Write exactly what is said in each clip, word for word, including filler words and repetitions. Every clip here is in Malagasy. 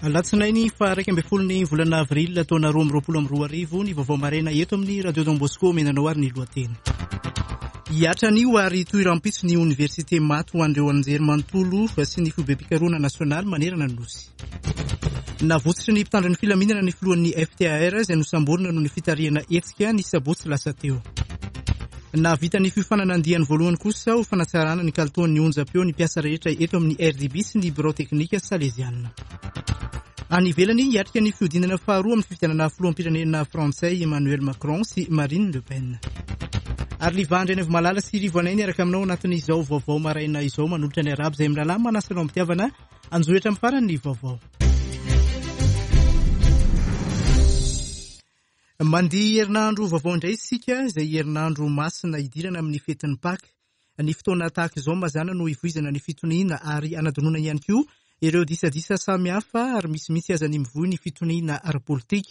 Alatsinainy faha iraika ambin'ny folo ny volana avril taona roa amby roapolo amby roa arivo ny vaovao maraina eto amin'ny Radio Don Bosco omenanao ary ny lohateny. Hihatra anio ary hitohy rahampitso ny oniversite maty ho an'ireo anjerimanontolo sy ny foibem-pikarohana nasionaly manerana ny Nosy. Navotsotry ny mpitandro ny filaminana ny filohan'ny F T A R izay nosamborina noho ny fitarihana hetsika ny sabotsy lasa teo. Nahavita ny fiofanana andiany voalohany kosa ho fanatsarana ny kalitaon'ny onjam-peo ny mpiasa rehetra eto amin'ny R D B sy ny birao teknika saleziana. Any ivelany, hiatrika ny fihodinana faharoa amin'ny fifidianana filoham-pirenena frantsay Emmanuel Macron sy Marine Le Pen. Ary Liva Andrianaivomalala sy Rivo Anay niaraka aminao anatin'izao vaovao maraina izao manolotra ny arabo izay mirahalahy manasa anao am-pitiavana anjohitra amin'ny farany ny vaovao. Mandihy herinandro vaovao indray isika, izay herinandro masina hidirana amin'ny fetin'ny Paka. Ny fotoana tahaka izao mazàna no hivoizana ny fitoniana ary anadinoana ihany koa ireo disadisa samihafa ary misy mihitsy aza ny mivoy ny fitoniana ara-politika.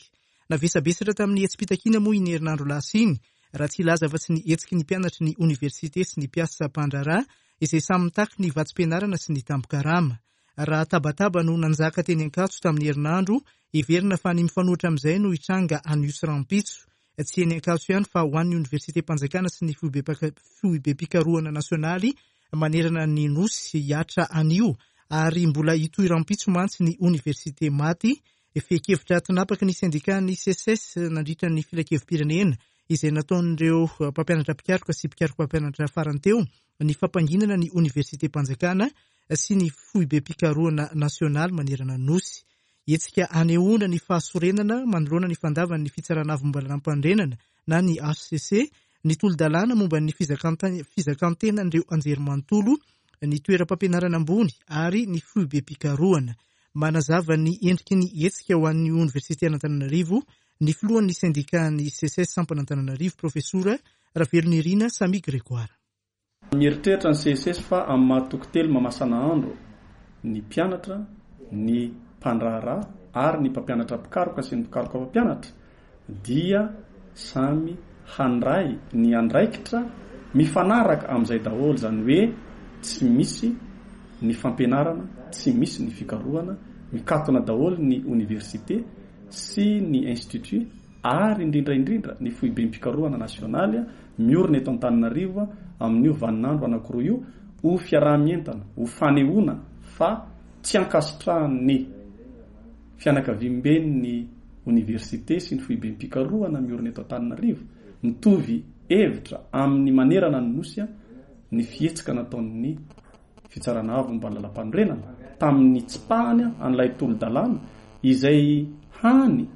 Navesabesatra tamin'ny hetsi-pitakiana moa iny herinandro lasa iny, raha tsy hilaza fa tsy ny hetsiky ny mpianatry ny oniversite sy ny mpiasa mpandraharaha izay samy mitaky ny vatsim-pianarana sy ny tambin-karama. Raha tabataba no nanjaka teny Ankatso tamin'ny herinandro, heverina fa ny mifanohitra amin'izay no hitranga anio sy rahampitso. Tsy eny Ankatso ihany fa ho an'ny oniversitem-panjakana sy ny foibem-pikarohana nasionaly manerana ny Nosy hihatra anio ary mbola hitohy rahampitso mantsy ny oniversite maty. Fehin-kevitra tinapaky ny sendikan'ny C S S nandritra ny filankevi-pirenena izay nataon'ireo mpampianatra mpikaroka sy mpikaroka mpampianatra farany teo ny fampanginana ny oniversitem-panjakana sy ny foibem-pikarohana nasionaly manerana ny Nosy. Hetsika anehoana ny fahasorenana manoloana ny fandavan'ny fitsarana avo momba ny lalàm-panorenana na ny H C C ny tolo-dalàna momba ny fizakanta-, fizakantenan'ireo anjerimanontolo, ny toeram-pampianarana ambony ary ny foibem-pikarohana. Manazava ny endriky ny hetsika ho an'ny oniversite an'Antananarivo ny filohan'ny sendikan'ny C S S sampan'Antananarivo, profesora Ravelonirina Samy Grégoire. Mieritreritra ny C S S fa amin'ny maha toko telo mamasana andro ny mpianatra, ny mpandraharaha ary ny mpampianatra mpikaroka sy ny mpikaroka mpampianatra dia samy handray ny andraikitra mifanaraka amin'izay daholo, izany hoe tsy misy ny fampianarana, tsy misy ny fikarohana, mikatona daholo ny oniversite sy ny institut ary indrindra indrindra ny foibem-pikarohana nasionaly miorina eto Antananarivo amin'io vaninandro anankiroa io ho fiaraha-mientana, ho fanehoana fa tsy ankasitrahan'ny fianakaviamben'ny oniversite sy ny foibem-pikarohana miorina eto Antananarivo mitovy hevitra amin'ny manerana ny Nosy ny fihetsika nataon'ny fitsarana avo momba ny lalàm-panorenana tamin'ny tsipahany an'ilay tolo-dalàna izay hany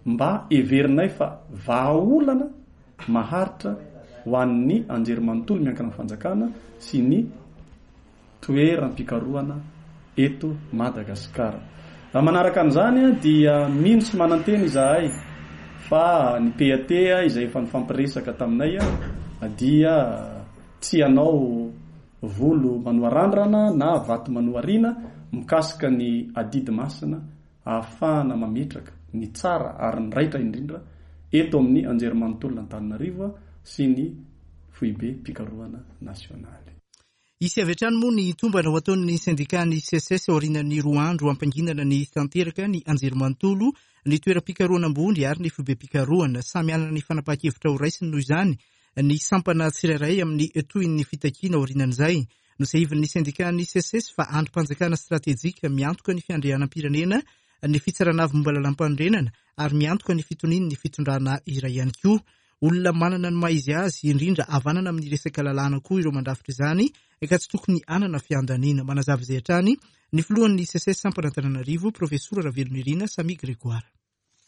mba heverinay fa vahaolana maharitra ho an'ny anjerimanontolo miankina amin'ny fanjakana sy ny toeram-pikarohana eto Madagasikara. Raha manaraka an'izany dia mino sy manantena izahay fa ny P A T izay efa nifampiresaka taminay dia tsy hanao volo manoarandrana na vato manoarina mikasika ny adidy masina ahafahana mametraka ny tsara ary ny raitra indrindra eto amin'ny anjerimanontolo Antananarivo sy ny foibem-pikarohana nasionaly. Hisy avy hatrany moa ny tombana ho ataon'ny sendikan'ny C S S aorian'ny roa andro hampanginana ny tanteraka ny anjerimanontolo, ny toeram-pikarohana ambony ary ny foibem-pikarohana. Samy hanana ny fanapahan-kevitra ho raisiny noho izany ny sampana tsirairay amin'ny tohin'ny fitakiana aorianan'izay. Nosahivin'ny sendikan'ny C S S fa andrim-panjakana stratejika miantoka ny fiandrianam-pirenena, ny fitsarana avo momba lalàm-panorenana ary miantoka ny fitonian'ny fitondrana iray ihany koa. Olona manana ny maha izy azy, indrindra havanana amin'ny resaka lalàna koa ireo mandrafitra izany, ka tsy tokony hanana fiandaniana. Manazava izay hatrany ny filohan'ny C S S sampan'Antananarivo, profesora Ravelonirina Samy Grégoire.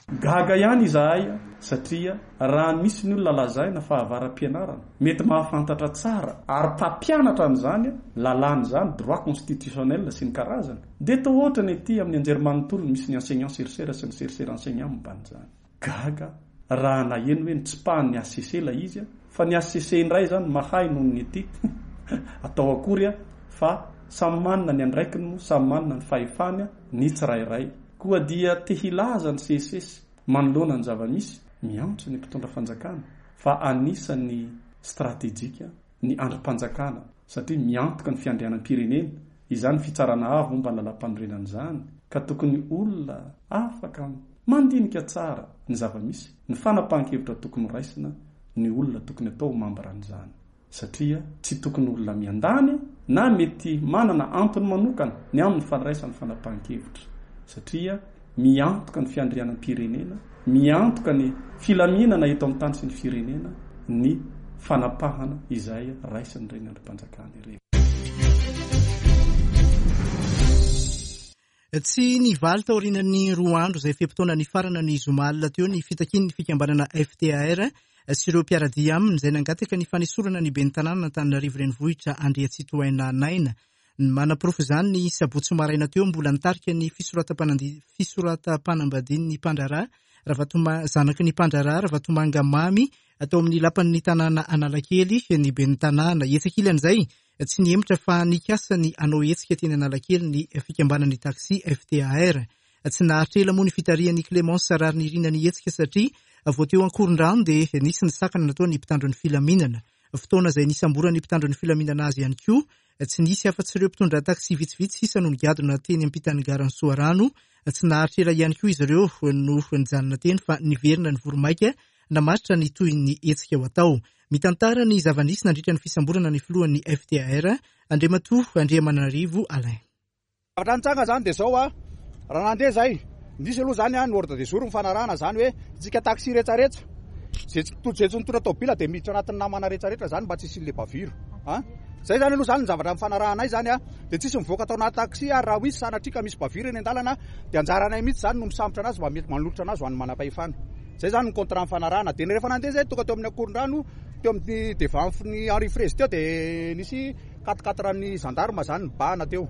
Gaga ihany izahay satria raha misy ny olona lazaina fa avara-pianarana, mety mahafantatra tsara ary mpampianatra an'izany lalàna izany, droit constitutionnel sy ny karazany, dia toa ohatra ny aty amin'ny anjerimanontolo misy ny enseignant chercheur sy ny chercheur enseignant momba an'izany. Gaga raha naheno hoe nitsipahan'ny H C C ilay izy, fa ny H C C indray izany mahay noho ny aty. Atao akory fa samy manana ny andraikiny moa, samy manana ny fahefany ny tsirairay. Koa dia te hilaza ny C S S manoloana ny zava-misy, miantso ny mpitondra fanjakana fa anisan'ny stratejika ny andrim-panjakana satria miantoka ny fiandrianam-pirenena izany fitsarana avo momba ny lalàm-panorenana izany Ka tokony olona afaka mandinika tsara ny zava-misy, ny fanapahan-kevitra tokony raisina, ny olona tokony atao membre an'izany. Satria tsy tokony olona miandany na mety manana antony manokana ny amin'ny fandraisana fanapahan-kevitra. Satria miantoka ny fiandrianam-pirenena, miantoka ny filaminana eto amin'ny tany sy ny firenena ny fanapahana izay raisin'ireny andrim-panjakana ireny. Tsy nivaly taorian'ny roa andro izay fe-potoana nifarana ny zoma alina teo ny fitakian'ny fikambanana F T A R sy ireo mpiara-dia aminy izay nangataka ny fanesorana ny ben'ny tanàna Antananarivo Renivohitra Andriatsitohaina Naina. Manaporofo izany ny sabotsy maraina teo mbola nitarika ny fisoratam-panambadian'ny mpandraharaha Ravatoma zanaky ny mpandraharaha Ravatomanga Mamy atao amin'ny lapan'ny tanàna Analakely ny ben'ny tanàna. Hetsika ilan'izay tsy nihemotra fa nikasa ny hanao hetsika teny Analakely ny fikambanan'ny taxi F T A R. Tsy naharitra ela moa ny fitarihan'ny Clémence Raharinirina ny hetsika satria vao teo Ankorondrano dia nisy ny sakana nataon'ny mpitandro ny filaminana. Fotoana izay nisamboran'ny mpitandro ny filaminana azy ihany koa tsy nisy afa-tsy ireo mpitondra taxi vitsivitsy sisa no nigadona teny ampitan'ny garan'i Soarano. Tsy naharitra ela ihany koa izy ireo no nijanona teny fa niverina ny voromaika namaritra ny tohin'ny hetsika ho atao. Mitantara ny zava-nisy nandritra ny fisamborana ny filohan'ny F T A R Andriamatoa Andriamananarivo Alain. Zavatra nitranga zany dia zao a, raha nandeha zay, nisy aloha zany a ny ordre du jour mifanarahana zany hoe tsika taxi rehetrarehetra zay tsy zay tsy nitondra tômobila dia miditra anatin'ny namana rehetrarehetra zany mba tsy hisian'ilay bavure. Ah, zay zany aloha zany ny zavatra mifanarahanay zany a, dia tsisy mivoaka tao anaty taxi ary raha ho izy sanatria ka misy bavure eny an-dalana dia anjaranay mihitsy zany no misambotra anazy mba mety manolotra anazy ho an'ny manam-pahefana. Zay zany ny contrat mifanarahana. Dia rehefa nandeha zay tonga teo amin'ny Ankorondrano, teo amin'ny devant ny Henri Fraise teo dia nisy quatre quatre ny gendarme zany nibahana teo.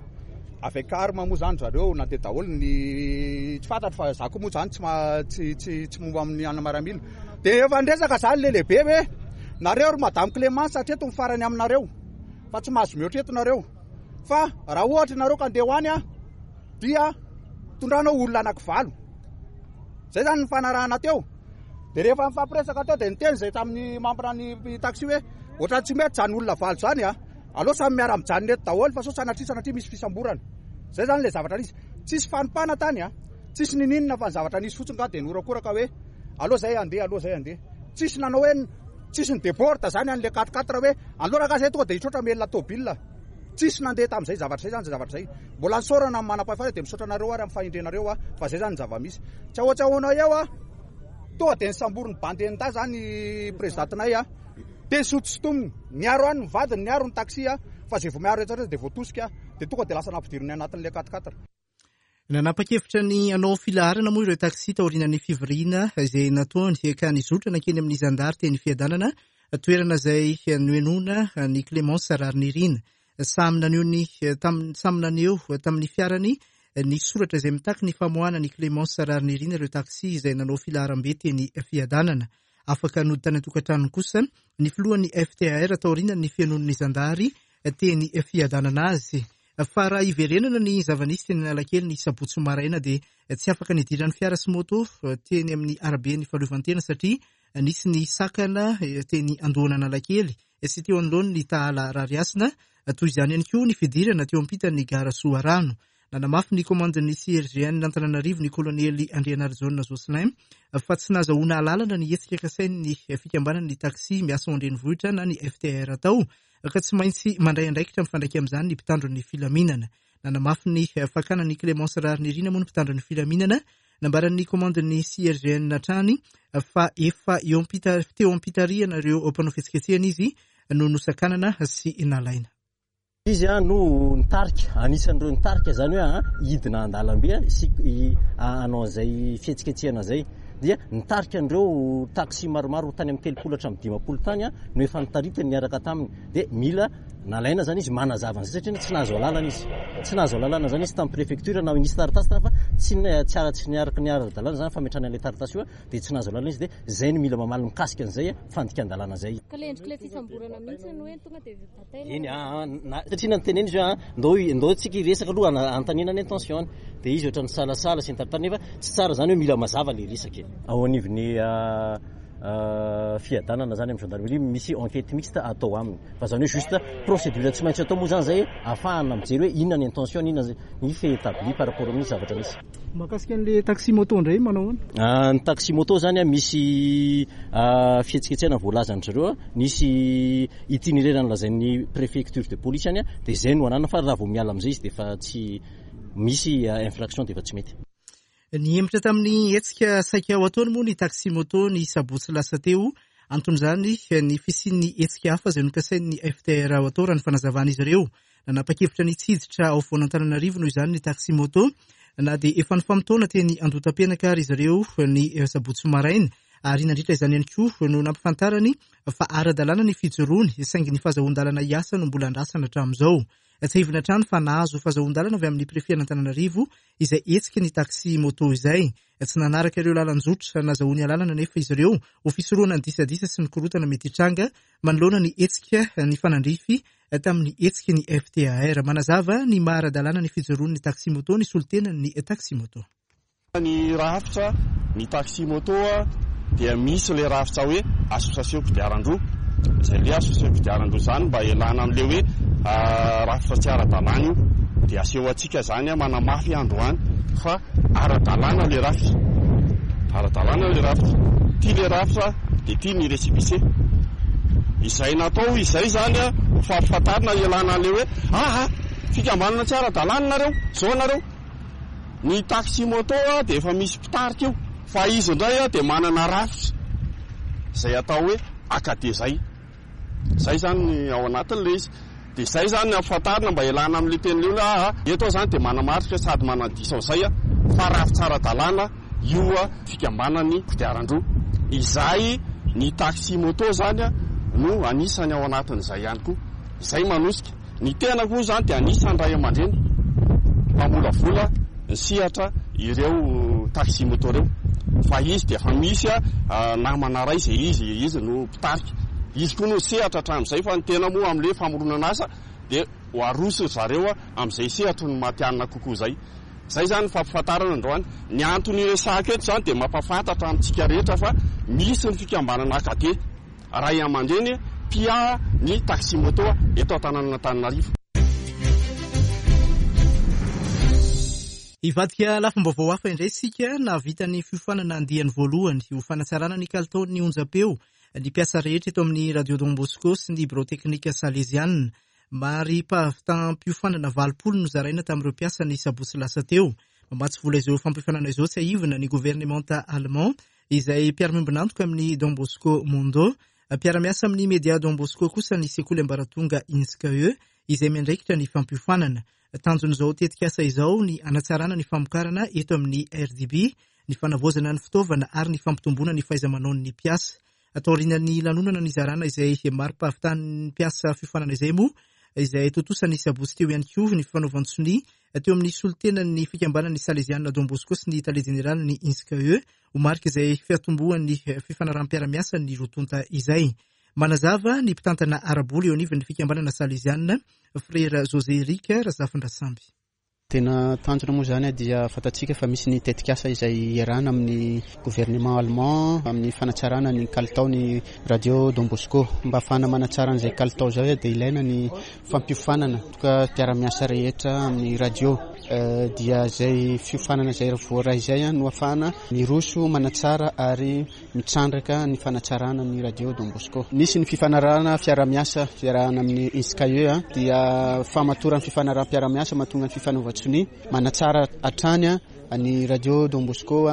Avec arme moa zany zareo nandeha daholo ny tsy fantatro fa za koa moa zany tsy ma-, tsy, tsy, tsy momba amin'ny an'ny maramila. Dia efa niresaka zany le lehibe hoe nareo ry Madame Clémence hatreto ny farany aminareo fa tsy mahazo mihoatra eto nareo. Fa raha ohatra nareo ka andeha ho any a, dia tondranao olona anankivalo. Zay zany ny fanarahana teo. Dia rehefa nifampiresaka teo dia niteny zay tamin'ny membre ny taxi hoe ohatran'ny tsy mety zany olona valo zany a, aleo samy miara-mijanona eto daholo fa sao sanatria sanatria misy fisamborana. Zay zany ilay zavatra nisy. Tsisy fanompana tany a, tsisy nininona fa ny zavatra nisy fotsiny ka dia norakoraka hoe aleo zay andeha, aleo zay andeha. Tsisy nanao hoe tsisy ny déborde zany an'ilay quatre quatre hoe aleo raha zay tonga dia hitroatra melona tômobila. Tsisy nandeha tamin'izay zavatra izay zany, izay zavatra izay. Mbola nisaorana amin'ny manam-pahefana dia misaotra anareo ary amin'ny fahendrenareo a, fa zay zany ny zava-misy. Tsy ahoa tsy ahoana eo a, tonga dia nisamborin'ny bandy enin-dahy zany présidentinay a. Dia nisotositomina, niaro any ny vadiny, niaro ny taxi a, fa zay vao miaro rehetra rehetra dia voatosika, dia tonga dia lasa nampidiriny anatin'ilay quatre quatre. Nanapa-kevitra ny hanao filaharana moa ireo taxi taorian'ny fivoriana izay nataony ka nizotra nankeny amin'ny zandary teny Fiadanana, toerana izay nohenoina ny Clémence Raharinirina. Samy naneho ny tam-, samy naneho tamin'ny fiarany ny soratra izay mitaky ny famoahana ny Clémence Raharinirina ireo taxi izay nanao filaharam-be teny Fiadanana. Afaka nody tany an-tokantranony kosa ny filohan'ny F T A R taorian'ny fihainoan'ny zandary teny Fiadanana azy. Fa raha iverenana ny zava-nisy teny Analakely ny sabotsy maraina dia tsy afaka nidiran'ny fiara sy moto teny amin'ny araben'ny fahaleovantena satria nisy ny sakana teny Andohan'Analakely sy teo anoloan'ny Tahala Rarihasina. Toy izany ihany koa ny fidirana teo ampitan'ny gara Soarano. Nanamafy ny komandin'ny C R G N Antananarivo ny kolonely Andrianarijaona Jocelyn fa tsy nahazoana alalana ny hetsika kasain'ny fikambanan'ny taxi miasa ao an-drenivohitra na ny F T R atao ka tsy maintsy mandray andraikitra mifandraika amin'izany ny mpitandro ny filaminana. Nanamafy ny fakana ny Clémence Raharinirina moa ny mpitandro ny filaminana. Nambaran'ny komandin'ny C R G N hatrany fa efa eo ampita-, teo am-pitarihana ireo mpanao fihetsiketsehana izy no nosakanana sy nalaina. Izy a no nitarika, anisan'ireo nitarika zany hoe a hidina an-dalambe a sy i-, a hanao an'izay fihetsiketsehana izay. Dia nitarika an'ireo taxi maromaro tany amin'ny telopolo hatramin'ny dimampolo tany a no efa nitaritany niaraka taminy. Dia mila nalaina zany izy manazava an'izay satria tsy nahazo alalana izy. Tsy nahazo alalana zany izy tamin'ny préfecture na nisy taratasy tany fa tsy ni-, tsy ara-, tsy niaraka ny ara-dalàna zany fametrahana an'ilay taratasy io a, dia tsy nahazo alalana izy. Dia zay no mila mamaly mikasika an'izay a, fandikan-dalàna zay. Ka le endrik'ilay fisamborana mihitsy no hoe tonga dia bataina. Eny, a, a, na, satria nanotenena izy hoe, a, ndao, ndao tsika hiresaka aloha ana-, anontaniana ny intention-ny. Dia izy ohatran'ny salasala sy ny tarintany nefa tsy tsara zany hoe mila mazava le resaka e. Ao anivon'ny, a, fiadanana zany amin'ny gendarmerie, misy enquête mixte atao aminy. Fa zany hoe juste procédure tsy maintsy atao moa zany zay ahafahana mijery hoe inona ny intention, inona ny fait établi par rapport amin'ny zavatra misy. Mahakasika an'le taxi moto indray manao ahoana? Ny taxi moto zany a misy fihetsiketsehana voalazan-dry zareo, nisy itinéraire nolazain'ny préfecture de police any, dia zay no anana, fa raha vao miala amin'izay izy dia efa tsy misy infraction, dia efa tsy mety. Nihemotra tamin'ny hetsika saika ho ataony moa ny taxi moto ny sabotsy lasa teo. Anton'izany ny fisian'ny hetsika hafa izay nokasain'ny F T R ho atao raha ny fanazavan'izy ireo. Nanapa-kevitra ny tsy hiditra ao afovoan'Antananarivo noho izany ny taxi moto, na dia efa nifamotoana teny Andohatapenaka ary izy ireo ny sabotsy maraina, ary nandritra izany ihany koa no nampifantarany fa ara-dalàna ny fijoroany, saingy ny fahazoan-dalana hiasa no mbola andrasana hatramin'izao. Tsiahivina hatrany fa nahazo fahazoan-dalana avy amin'ny prefet-n'Antananarivo izay hetsika ny taxi moto izay. Tsy nanaraka ireo lalan-jotra nazahoany alalana nefa izy ireo ho fisorohana ny disadisa sy ny korontana mety hitranga manoloana ny hetsika ny fanandrify tamin'ny hetsika ny F T A R. Manazava ny maha ara-dalàna ny fijoroan'ny taxi moto ny solontenan'ny taxi moto. Ny rafitra ny taxi moto dia misy le rafitra hoe association kodiaran-droa. Izay le association kodiaran-droa zany mba ialana amin'le hoe rafitra tsy ara-dalàna io, dia aseho antsika zany manamafy androany fa ara-dalàna le rafitra, ara-dalàna le rafitra, ty le rafitra dia ty ny récépissé. Izay natao izay zany ho fampifantarina ialana an'le hoe aha fikambanana tsy ara-dalàna nareo, zao nareo. Ny taxi moto dia efa misy mpitarika io, fa izy indray dia manana rafitra izay atao hoe A K D zay. Zay zany ny ao anatin'ilay izy. Dia zay zany ny ampifantarina mba ialana amin'ilay teny hoe aha eto zany dia manamarika sady manadiso an'izay fa rafitra ara-dalàna io fikambanan'ny kodiaran-droa. Izay ny taxi moto zany no anisany ao anatin'izay ihany koa. Izay manosika. Ny tena koa zany dia anisan'ny ray aman-dreny mpamolavola ny sehatra ireo taxi moto ireo. Fa izy dia efa misy namana iray izay izy, izy no mpitarika. Izy koa no sehatra hatramin'izay, fa ny tena moa amin'ilay famoronana asa dia ho aroso zareo amin'izay sehatry ny matihanina kokoa izay. Izay zany ny fampifantarana androany. Ny antony iresahako eto zany dia mampahafantatra amintsika rehetra fa misy ny fikambanana A K D ray aman-dreny mpiahy ny taxi moto eto an-tanànan'Antananarivo. Hivadika lafim-baovao hafa indray isika. Nahavita ny fiofanana andiany voalohany ho fanatsarana ny kalitaon'ny onjam-peo ny mpiasa rehetra eto amin'ny Radio Don Bosco sy ny birao teknika Salesiana. Mari-pahavitam-piofanana valopolo no zaraina tamin'ireo mpiasa ny sabotsy lasa teo. Mamatsy vola izao fampiofanana izao tsiahivina ny governemanta allemand izay mpiara-miombon'antoka amin'ny Don Bosco Mondo. Mpiara-miasa amin'ny Media Don Bosco kosa ny sekoly ambaratonga INSCAE izay miandraikitra ny fampiofanana. Tanjon'izao tetikasa izao ny hanatsarana ny famokarana eto amin'ny R D B, ny fanavaozana ny fitaovana ary ny fampitomboana ny fahaiza-manaon'ny mpiasa. Taorian'ny lanonana nizarana izay mari-pahavitan'ny mpiasa fiofanana izay moa, izay tontosa ny sabotsy teo ihany koa ny fanaovan-tsonia teo amin'ny solontenan'ny fikambanan'ny Salesiana Don Bosco sy ny tale jeneralin'ny INSCAE ho marika izay fiatombohan'ny fifanaraham-piarahamiasa ny roa tonta izay. Manazava ny mpitantana ara-bola eo anivon'ny fikambanana Salesiana, Frère José Eric Razafindrasamby. Tena tanjona moa zany dia fantatsika fa misy ny tetikasa izay iarahana amin'ny gouvernement allemand amin'ny fanatsarana ny kalitaon'ny Radio Don Bosco. Mba ahafahana manatsara an'izay kalitao izay dia ilaina ny fampiofanana toka mpiara-miasa rehetra amin'ny radio. Dia izay fiofanana izay voaray izay no ahafahana miroso manatsara ary mitrandraka ny fanatsarana ny Radio Don Bosco. Nisy ny fifanarahana fiarahamiasa fiarahana amin'ny INSCAE dia famatoran'ny fifanaraham-piarahamiasa mahatonga ny fifanaovan-tsonia manatsara hatrany ny Radio Don Bosco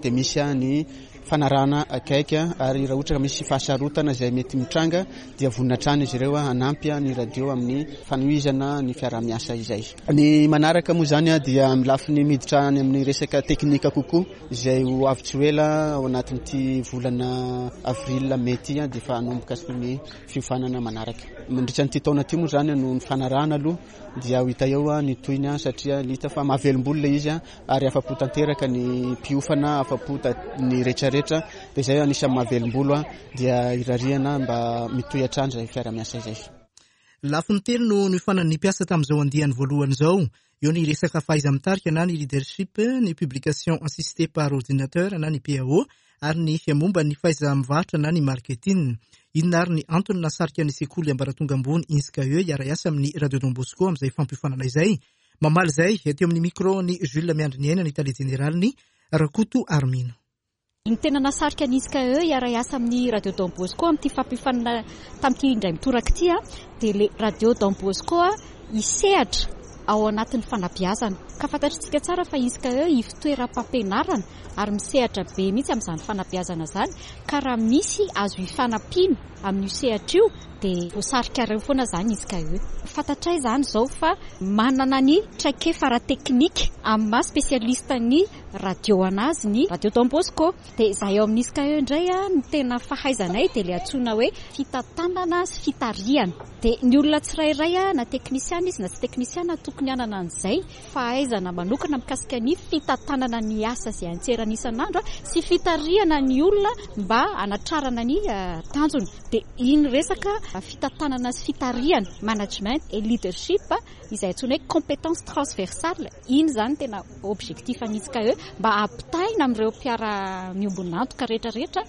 dia misy ny fanarahana akaiky ary raha ohatra ka misy fahasarotana izay mety mitranga dia vonona hatrany izy ireo hanampy ny radio amin'ny fanohizana ny fiarahamiasa izay. Ny manaraka moa zany dia amin'ny lafiny miditra any amin'ny resaka teknika kokoa izay ho avy tsy ho ela ao anatin'ity volana avril mey ity dia efa hanomboka ny fiofanana manaraka. Mandritra an'ity taona ity moa zany no ny fanarahana aloha dia ho hita eo ny tohiny satria hita fa mahavelom-bolo ilay izy ary afa-po tanteraka ny mpiofana, afa-po ny rehetrarehetra dia izay anisan'ny mahavelom-bolo dia irariana mba mitohy hatrany izay fiarahamiasa izay. Lafiny telo no niofanan'ny mpiasa tamin'izao andiany voalohany izao. Eo ny resaka fahaiza-mitarika na ny leadership, ny publication assistée par ordinateur na ny P A O ary ny momba ny fahaiza-mivarotra na ny marketing. Inona ary ny antony nasarika ny sekoly ambaratonga ambony INSCAE hiara-hiasa amin'ny Radio Don Bosco amin'izay fampiofanana izay? Mamaly izay teo amin'ny micro ny Jules Miandriniaina, ny tale jeneraliny Rakoto Armino. Ny tena nasarika ny INSCAE hiara-hiasa amin'ny Radio Don Bosco amin'ity fampiofanana tamin'ity indray mitoraka ity dia le Radio Don Bosco hisehatra ao anatin'ny fanabeazana. Ka fantatritsika tsara fa INSCAE ivon-toeram-pampianarana ary misehatra be mihitsy amin'izany fanabeazana izany, ka raha misy azo ifanampiana amin'io sehatra io dia voasarika ireo foana izany INSCAE. Fantatray izany izao fa manana ny traikefa ara-teknika amin'ny maha spesialista ny radio anazy ny Radio Don Bosco. Dia izahay ao amin'ny INSCAE indray ny tena fahaizanay dia ilay antsoina hoe fitantanana sy fitarihana. Dia ny olona tsirairay na teknisiana izy na tsy teknisiana tokony hanana an'izay fahaizana manokana mikasika ny fitantanana ny asa izay antserana isan'andro sy fitarihana ny olona mba hanatrarana ny tanjona. Dia iny resaka fitantanana sy fitarihana, management et leadership, izay antsoina hoe compétence transversale, iny izany tena objectif an'ny INSCAE mba hampitaina amin'ireo mpiara-miombon'antoka rehetrarehetra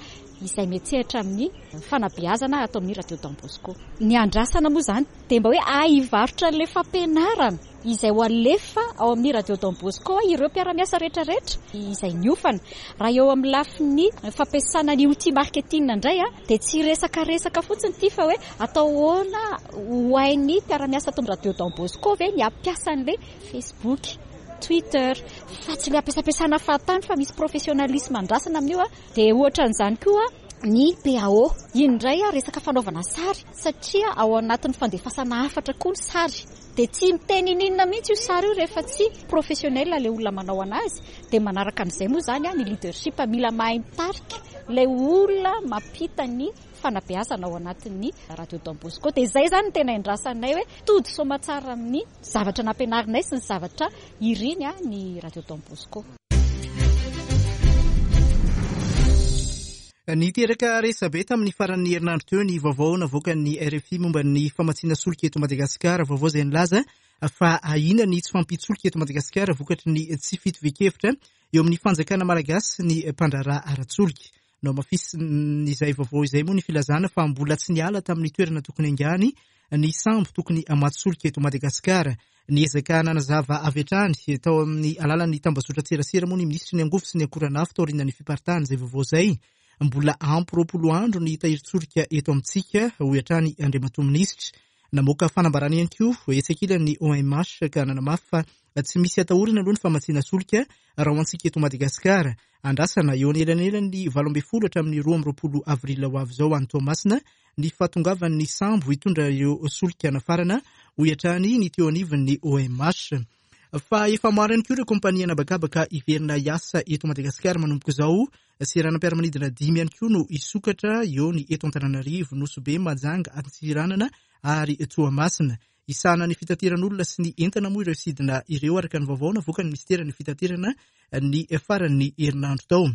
izay miantsehatra amin'ny fanabeazana atao amin'ny Radio Don Bosco. Ny andrasana moa izany dia mba hoe ahivarotra an'ilay fampianarana izay ho alefa ao amin'ny Radio Don Bosco ireo mpiara-miasa rehetrarehetra izay niofana. Raha eo amin'ny lafiny fampiasana ny outil marketing indray dia tsy resakaresaka fotsiny ity fa hoe atao ahoana ho hain'ny mpiara-miasa ato amin'ny Radio Don Bosco ve ny hampiasa an'ilay Facebook, Twitter, fa tsy ilay ampiasampiasana fahatany fa misy professionnalisme andrasana amin'io. Dia ohatra an'izany koa ny P A O. Iny indray resaka fanaovana sary satria ao anatin'ny fandefasana hafatra koa ny sary. Dia tsy miteny ininona mihitsy io sary io rehefa tsy professionnel ilay olona manao anazy. Dia manaraka an'izay moa izany ny leadership, mila mahay mitarika ilay olona mampita ny fanabeazana ao anatin'ny Radio Don Bosco. Dia izay izany no tena indrasanay hoe tody soamantsara amin'ny zavatra nampianarinay sy ny zavatra iriny ny Radio Don Bosco. Niteraka resabe tamin'ny faran'ny herinandro teo ny vaovao navoakan'ny R F I momba ny famatsiana solika eto Madagasikara. Vaovao izay nilaza fa ahiana ny tsy fahampian-tsolika eto Madagasikara vokatry ny tsy fitovian-kevitra eo amin'ny fanjakana malagasy sy ny mpandraharaha ara-tsolika. Nohamafisin'izay vaovao izay moa ny filazana fa mbola tsy niala tamin'ny toerana tokony haingany ny sambo tokony hamatsy solika eto Madagasikara. Niezaka nanazava avy hatrany tao amin'ny alalan'ny tambazotran-tserasera moa ny minisitry ny angovo sy ny akoranafo taorian'ny fiparitahan'izay vaovao izay. Mbola ampy roapolo andro ny tahirin-tsolika eto amintsika, hoy hatrany Andriamatoa Minisitra. Namoaka fanambarana ihany koa etsy ankilan'ny O M H ka nanamafy fa tsy misy atahorana aloha ny famatsiana solika raha ho antsika eto Madagasikara. Andrasana eo anelanelan'ny valo ambin'ny folo hatramin'ny roa amby roapolo avril ho avy izao any Toamasina ny fahatongavan'ny sambo hitondra ireo solika nafarana, hoy hatrany ny teo anivon'ny O M H. Fa efa maro ihany koa ireo kompania anabakabaka hiverina hiasa eto Madagasikara manomboka izao. Seranam-piaramanidina dimy ihany koa no hisokatra eo ny eto Antananarivo, Nosy Be, Mahajanga, Antsiranana ary Toamasina. Isahana ny fitateran'olona sy ny entana moa ireo sidina ireo araka ny vaovao navoakan'ny minisiteran'ny fitaterana ny faran'ny herinandro tao.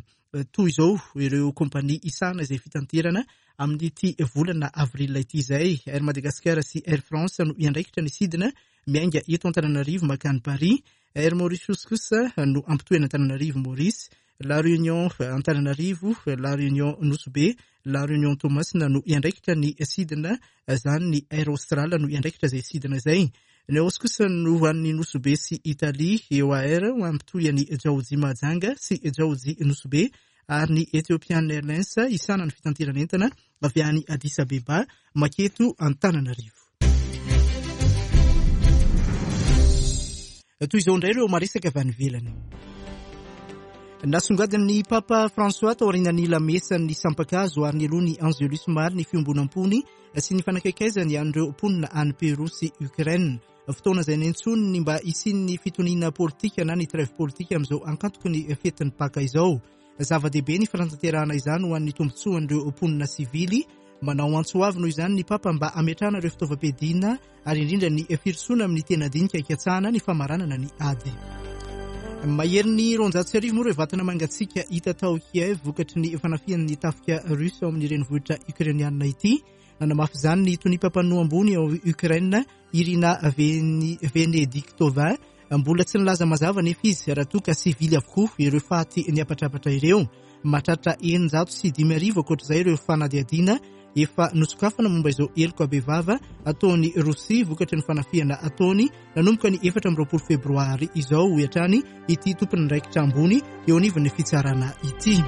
Toy izao ireo kompania isahana izay fitaterana amin'ity volana avril ity izay. Air Madagascar sy Air France no hiandraikitra ny sidina miainga eto Antananarivo mankany Paris. Air Mauritius kosa no ampitohy an'Antananarivo Maurice, La Réunion Antananarivo, La Réunion Nosy Be, La Réunion Toamasina no hiandraikitra ny sidina izany. Ny Air Austral no hiandraikitra izay sidina izay. Ny Aos kosa no ho an'ny Nosy Be sy Italie, E O A R ho ampitohy an'i Djaoji Mahajanga sy Djaoji Nosy Be ary ny Ethiopian Airlines isana ny fitanterana entana avy any Addis Abeba maketo Antananarivo. Toy izao indray ireo maresaka avy any ivelany. Nasongadin'ny Papa François taorian'ny lamesan'ny sampakazo ary nialoha ny Angelus maro ny fiombonam-pony sy ny fanakaikaizany an'ireo mponina any Peru sy Ukraine. Fotoana izay niantsoany ny mba hisian'ny fitoniana politika na ny trêve politika amin'izao ankantoky ny fetin'ny Paka izao. Zava-dehibe ny fanatanterahana izany ho an'ny tombontsoan'ireo mponina sivily. Manao antso avo noho izany ny Papa mba hametrahana ireo fitaovam-piadiana ary indrindra ny firosoana amin'ny tena dinika hikatsahana ny famaranana ny ady. Maherin'ny roanjato sy arivo moa ireo vatana mangatsiaka hita tao Kiev vokatry ny fanafihan'ny tafika russe ao amin'ny renivohitra ukrainiana ity. Nanamafy izany ny toniam-pampanoa ambony ao Ukraine, Irina Venediktova, Mbola tsy nilaza mazava nefa izy raha toa ka sivily avokoa ireo faty niapatrapatra ireo. Mahatratra eninjato sy dimy arivo ankoatr'izay ireo fanadihadiana efa nosokafana momba izao heloka bevava ataon'i Rosia vokatry ny fanafihana ataony nanomboka ny efatra amby roapolo febroary izao, hoy hatrany ity tompon'andraikitra ambony eo anivon'ny fitsarana ity.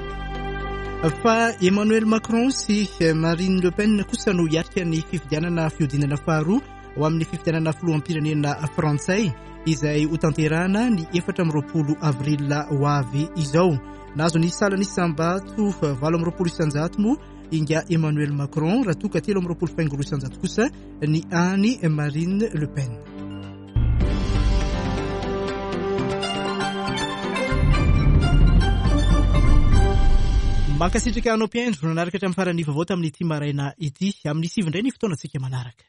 Fa Emmanuel Macron sy Marine Le Pen kosa no hiatrika ny fifidianana fihodinana faharoa ho amin'ny fifidianana filoham-pirenena frantsay izay hotanterahana ny efatra amby roapolo avril ho avy izao. Nahazo ny salan'isam-bato valo amby roapolo isanjato moa inga Emmanuel Macron raha toa ka telo amby roapolo faingo roa isanjato kosa ny any Marine Le Pen. Mankasitraka anao mpihaino nanaraka hatramin'ny faran'ny vaovao tamin'ity maraina ity. Amin'ny sivy indray ny fotoanantsika manaraka.